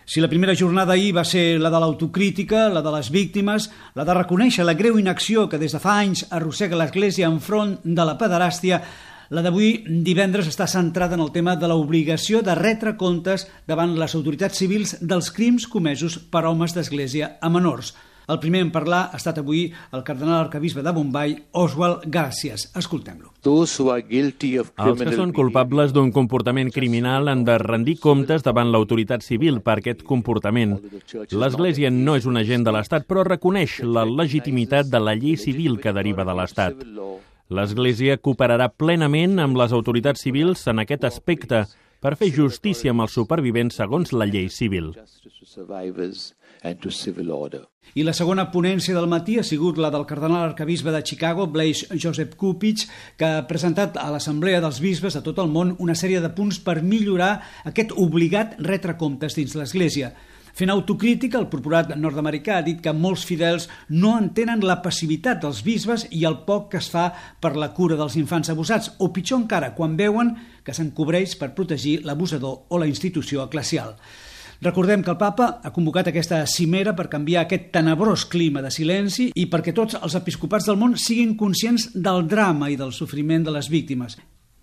Si la primera jornada ahir va ser la de l'autocrítica, la de les víctimes, la de reconèixer la greu inacció que des de fa anys arrossega l'Església enfront de la pederàstia, la d'avui, divendres, està centrada en el tema de l'obligació de retre comptes davant les autoritats civils dels crims comesos per homes d'Església a menors. El primer en parlar ha estat avui el cardenal arquebisbe de Bombay, Oswald Garcías. Escoltem-lo. Els que són culpables d'un comportament criminal han de rendir comptes davant l'autoritat civil per aquest comportament. L'Església no és un agent de l'Estat, però reconeix la legitimitat de la llei civil que deriva de l'Estat. L'Església cooperarà plenament amb les autoritats civils en aquest aspecte per fer justícia amb els supervivents segons la llei civil. I la segona ponència del matí ha sigut la del cardenal arquebisbe de Chicago, Blaise Joseph Kupich, que ha presentat a l'Assemblea dels Bisbes de tot el món una sèrie de punts per millorar aquest obligat retre comptes dins l'Església. Fent autocrítica, el procurat nord-americà ha dit que molts fidels no entenen la passivitat dels bisbes i el poc que es fa per la cura dels infants abusats, o pitjor encara, quan veuen que s'encobreix per protegir l'abusador o la institució eclesial. Recordem que el papa ha convocat aquesta cimera per canviar aquest tenebrós clima de silenci i perquè tots els episcopats del món siguin conscients del drama i del sofriment de les víctimes.